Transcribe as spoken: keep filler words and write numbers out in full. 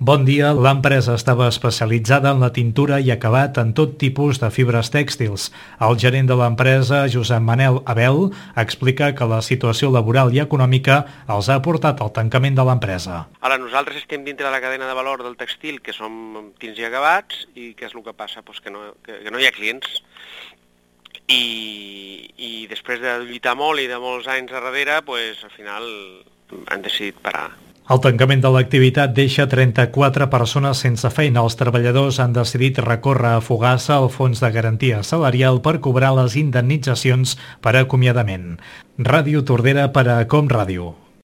Bon dia, l'empresa estava especialitzada en la tintura i acabat en tot tipus de fibres tèxtils. El gerent de l'empresa, Josep Manel Abel, explica que la situació laboral i econòmica els ha portat al tancament de l'empresa. Ara, nosaltres estem dintre de la cadena de valor del textil, que som tints i acabats, i què és el que passa? Pues que, no, que, que no hi ha clients. I, i després de lluitar molt i de molts anys a darrere, pues, al final han decidit parar. El tancament de l'activitat deixa trenta-quatre persones sense feina. Els treballadors han decidit recórrer a Fogassa al fons de garantia salarial per cobrar les indemnitzacions per acomiadament. Ràdio Tordera per a Com Ràdio.